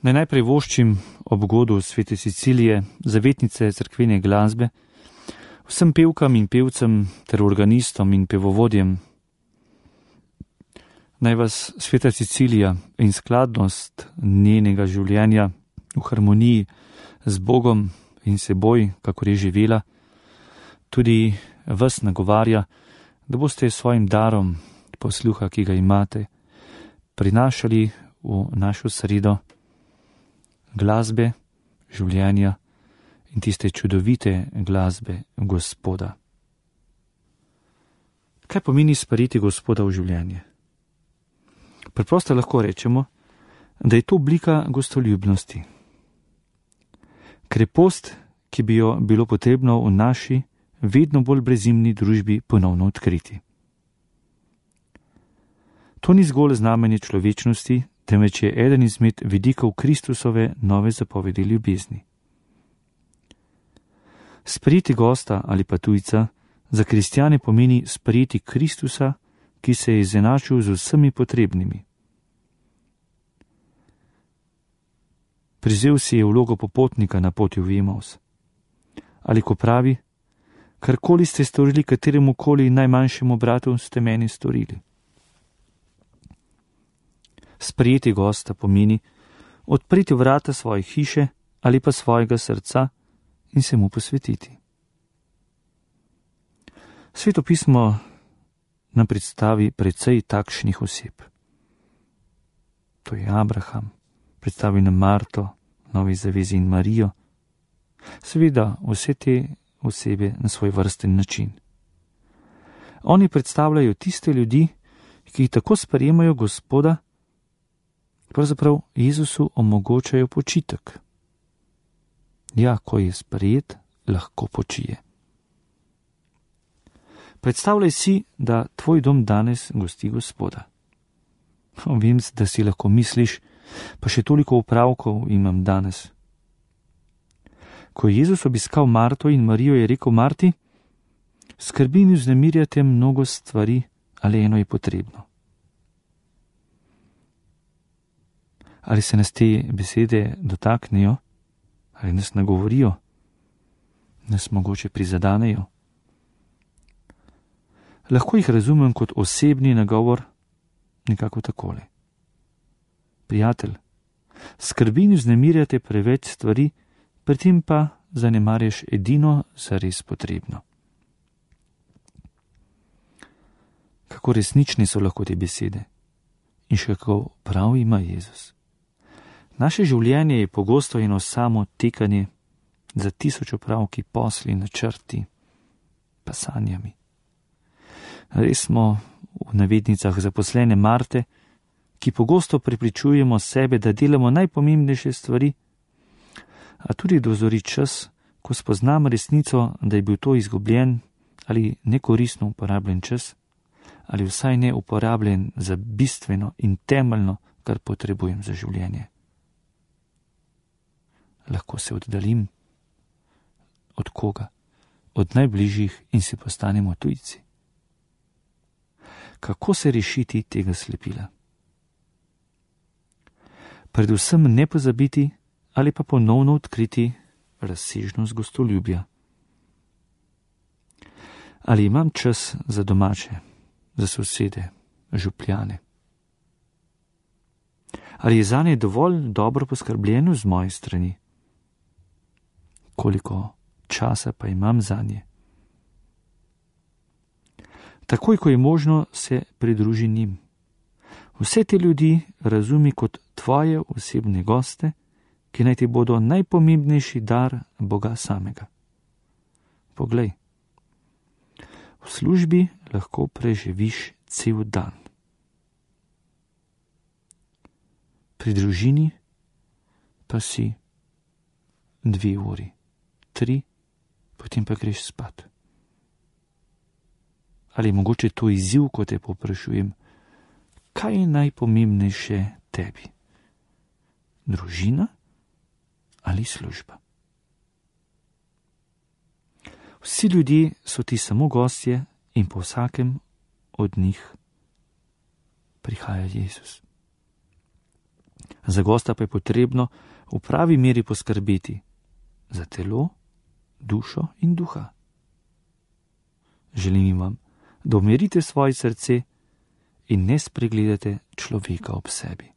Naj najprej voščim ob godu svete Cecilije, zavetnice cerkvene glasbe, vsem pevkam in pevcem ter organistom in pevovodjem. Naj vas sveta Cecilija in skladnost njenega življenja v harmoniji z Bogom in seboj, kakor je živela, tudi vas nagovarja, da boste svojim darom posluha, ki ga imate, prinašali v našo sredo glasbe, življenja in tiste čudovite glasbe Gospoda. Kaj pomeni sprejeti Gospoda v življenje? Preprosto lahko rečemo, da je to oblika gostoljubnosti. Krepost, ki bi jo bilo potrebno v naši vedno bolj brezimni družbi ponovno odkriti. To ni zgolj znamenje človečnosti, temveč je eden izmed vidikov Kristusove nove zapovedi ljubezni. Sprejeti gosta ali pa tujca za kristjane pomeni sprejeti Kristusa, ki se je izenačil z vsemi potrebnimi. Prizel si je vlogo popotnika na poti v Emaus. Ali ko pravi, karkoli ste storili kateremu koli najmanjšemu bratu, ste meni storili. Sprejeti gosta pomeni odpreti vrata svoje hiše ali pa svojega srca in se mu posvetiti. Sveto pismo nam predstavi precej takšnih oseb. To je Abraham, predstavi nam Marto, Novi zavezi in Marijo. Seveda vse te osebe na svoj vrsten način. Oni predstavljajo tiste ljudi, ki tako sprejemajo Gospoda, pravzaprav Jezusu omogočajo počitek. Ja, ko je sprejet, lahko počije. Predstavljaj si, da tvoj dom danes gosti Gospoda. Vem, da si lahko misliš, pa še toliko opravkov imam danes. Ko je Jezus obiskal Marto in Marijo, je rekel Marti, skrbi in vznemirjate mnogo stvari, ali eno je potrebno. Ali se nas te besede dotaknejo, ali nas nagovorijo, nas mogoče prizadanejo. Lahko jih razumem kot osebni nagovor, nekako takole. Prijatelj, skrbi in vznemirjate preveč stvari, pri tem pa zanemarjaš edino zares potrebno. Kako resnične so lahko te besede in še kako prav ima Jezus. Naše življenje je pogosto eno samo tekanje za tisoč opravki, posli, načrti, pa sanjami. Res smo v navednicah zaposlene Marte, ki pogosto prepričujemo sebe, da delamo najpomembnejše stvari, a tudi dozori čas, ko spoznam resnico, da je bil to izgubljen ali nekoristno uporabljen čas, ali vsaj ne uporabljen za bistveno in temeljno, kar potrebujem za življenje. Lahko se oddaljim. Od koga? Od najbližjih in si postanemo tujci. Kako se rešiti tega slepila? Predvsem ne pozabiti ali pa ponovno odkriti razsežnost gostoljubja. Ali imam čas za domače, za sosede, župljane? Ali je zanje dovolj dobro poskrbljeno z moje strani? Koliko časa pa imam zanje? Takoj, ko je možno, se pridruži njim. Vse te ljudi razumi kot tvoje osebne goste, ki naj ti bodo najpomembnejši dar Boga samega. Poglej, v službi lahko preživiš cel dan. Pri družini pa si 2 uri, 3, potem pa greš spat. Ali mogoče to izziv, ko te povprašujem, kaj je najpomembnejše tebi? Družina ali služba? Vsi ljudje so ti samo gostje in po vsakem od njih prihaja Jezus. Za gosta pa je potrebno v pravi meri poskrbeti za telo, dušo in duha. Želim vam, da umirite svoje srce in ne spregledate človeka ob sebi.